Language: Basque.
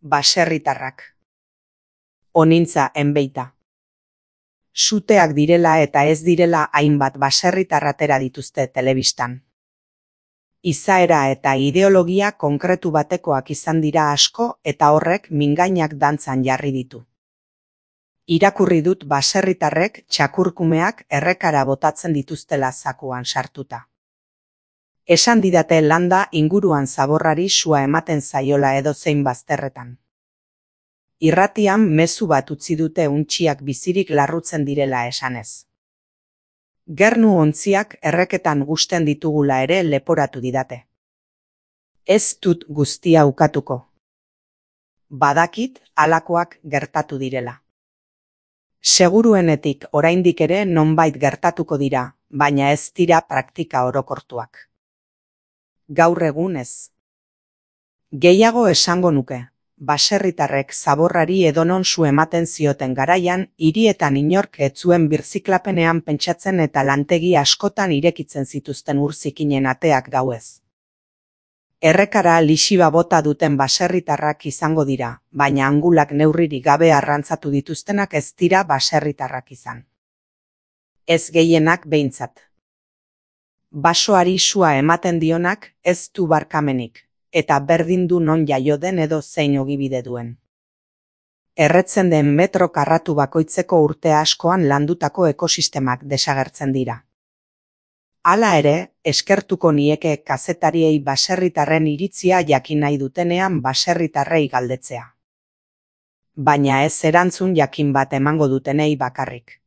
Baserritarrak. Onintza enbeita. Suteak direla eta ez direla hainbat baserritar atera dituzte telebistan. Izaera eta ideologia konkretu batekoak izan dira asko eta horrek mingainak dantzan jarri ditu. Irakurri dut baserritarrek txakurkumeak errekara botatzen dituztela zakuan sartuta. Esan didate landa inguruan zaborrari sua ematen zaiola edozein bazterretan. Irratian mezu bat utzi dute untxiak bizirik larrutzen direla esanez. Gernu ontziak erreketan gusten ditugula ere leporatu didate. Ez dut guztia ukatuko. Badakit halakoak gertatu direla. Seguruenetik oraindik ere nonbait gertatuko dira, baina ez dira praktika orokortuak. Gaur egun ez. Gehiago esango nuke. Baserritarrek zaborrari edonon su ematen zioten garaian, hirietan inork ez zuen birziklapenean pentsatzen eta lantegi askotan irekitzen zituzten urzikinen ateak gauez. Errekara lixiba bota duten baserritarrak izango dira, baina angulak neurririk gabe arrantzatu dituztenak ez dira baserritarrak izan. Ez gehienak behintzat. Basoari sua ematen dionak ez du barkamenik. Eta berdin du non jaio den edo zein ogibide duen. Erretzen den metro karratu bakoitzeko urte askoan landutako ekosistemak desagertzen dira. Hala ere, eskertuko nieke kazetariei baserritarren iritzia jakin nahi dutenean baserritarrei galdetzea. Baina ez erantzun jakin bat emango dutenei bakarrik.